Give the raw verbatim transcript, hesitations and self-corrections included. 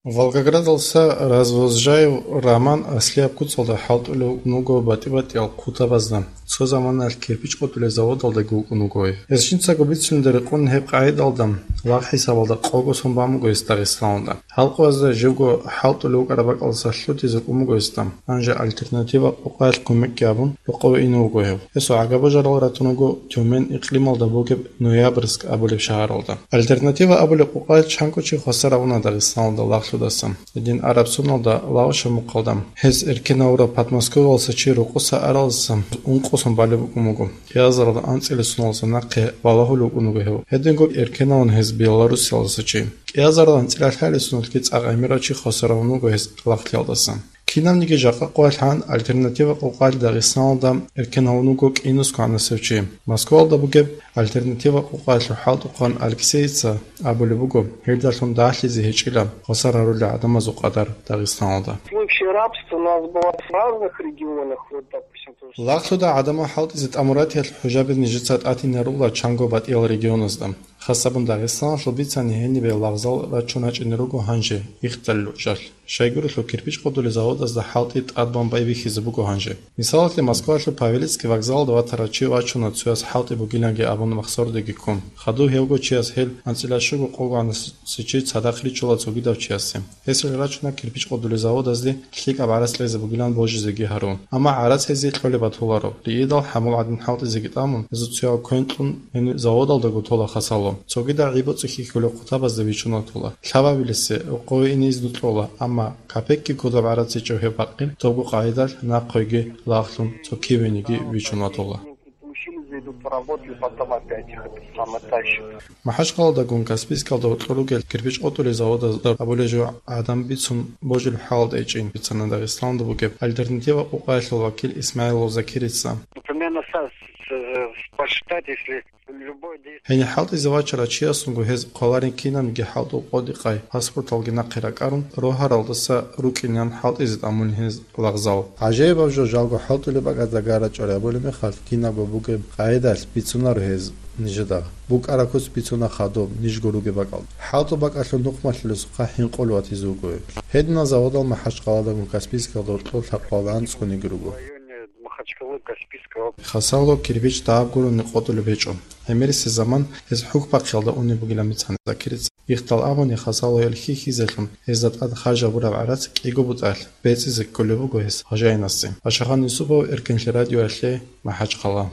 Волгоградалса Развозжаев Роман аслияб куцалда хӀалтӀулев вуго батӀи-батӀиял хъутабазда. Цо заманалъ кирпич къотӀулел заводалдаги вукӀун вуго гьев. Гьес жинцаго бицунелда рекъон гьеб къагӀидалда лагъ хӀисабалда къого сон бан буго гьес Дагъистаналда. Халкъазда живго хӀалтӀулев вукӀараб бакӀалдаса лъутизе кӀун буго гьесда. Гьанже «Альтернатива» къокъаялъ кумекги гьабун, рокъове ине вуго гьев. Гьесул гӀагаб-божарал ратун вуго Тюмень икълималда бугеб Ноябрьск абулеб шагьаралда. «Альтернатива» абулеб къокъаялъ чанго чи хвасар гьавуна Дагъистаналда лагълъудаса. Гьедин араб соналда лагъ шамухъалда гьез эркенавурав Подмосковьялдаса чи рокъоса аралдаса ункъо сон балеб букӀун буго. КӀиазаралда анцӀила соналдаса нахъе балагьулев вукӀун вуго гьев. Гьединго эркенавуна гьез Белоруссиялдаса чи. КӀиазаралда анцӀила лъабилеб соналъги цӀакъ гӀемерав чи хвасар гьавун вуго гьес лагълъиялдасан. Кинабниги жакъа къоялъ гьан «Альтернатива» къокъаялъ Дагъистаналда эркен гьавун вуго кӀинусго гӀанасев чи. Москваялда бугеб «Альтернатива» къокъаялъул хӀалтӀухъан Алексеица абулеб буго, гьелдалъун дагьлъизе гьечӀила хвасар гьарулел гӀадамазул къадар Дагъистаналда. В случае рабства у нас бывает в разных регионах, вот, допустим, то же Лагълъуда гӀадамал хӀалтӀизе тӀамуратиялъ хӀужаби нижеца тӀатинарула чанго батӀиял регионазда. Хасабун Дагъистаналъул бицани гьенибе лагъзал рачун гьачӀине руго гьанже, ихталил учӀалъ. Щайгурелъул кирпич къотӀулел заводазда хӀалтӀи тӀадбан байбихьизе буго гьанже. Мисалалъе, Москвалъул Павелецкий вокзалалда ватарав чи вачуна цояс хӀалтӀи бугиланги абун махсордеги ккун. Хадув гьевго чияс гьел анцӀила щуго къого гӀанасев чи цадахъ ричула цогидав чиясе. Гьесие рачуна кирпич къотӀулел заводазде лъикӀаб гӀарац кьезе бугилан божизеги гьарун. Амма гӀарац гьезие кьолеб батуларо. Риидал хӀамул гӀадин хӀалтӀизеги тӀамун, гьезул цояв квен кьун гьениб заводалдаго тола хасало. Цогидал гӀи-боцӀи хьихьулел хъутабазда вичун ватула. Лъабабилесе рокъове ине изну кьола, амма капекги кодоб гӀарац гьечӀев гьеб бакъил, добго къагӀидалъ нахъеги лагълъун цо кивениги вичун ватула. Училище идут, поработали, потом опять их это самое тащат. МахӀачхъаладагун Каспийскалда гьоркьор ругел кирпич къотӀулел заводазда абулеб жо гӀадан бицун божулеб хӀалалда гьечӀин бицана Дагъистаналда бугеб «Альтернатива» къокъаялъул вакил ИсмагӀилов Закирица. Примерно со-, с-, э, посчитать, если любой действие. Гьенир хӀалтӀизе вачарав чиясунго гьез хъваларин кинабниги хӀалтӀул къотӀи-къай, паспорталги нахъе ракӀарун, рогьаралдаса рукӀинеян хӀалтӀизе тӀамун гьез лагъзал. ГӀажаибаб жо жалго хӀалтӀулеб бакӀазда гара чӀвари абулеб мехалъ, кинабго бугеб къагӀидалъ бицунаро гьез нижеда. БукӀараб куц бицуна хадуб, нижго ругеб бакӀалда. ХӀалтӀул бакӀалъул нухмалъулесухъа хӀинкъулев ватизе вуго гьеб. Гьединал заводал МахӀачхъаладагун Каспийскалда гьоркьор лъабкъоялда анцӀгониги руго. Махачкалы, Каспийского. Хасало кирпич дагьаб гурони къотӀулеб гьечӀо. ГӀемерисеб заман гьез хӀухьбахъиялда унеб бугилан бицана Закирица. Ихтал абуни, хасало гьел хьихьизелъун гьезда тӀад харж гьабураб гӀарац кӀиго бутӀалъ бецӀизе кколеб буго гьес гьожайинасе. Пашагьан Юсупов, Эркенлъи радиоялъе, МахӀачхъала.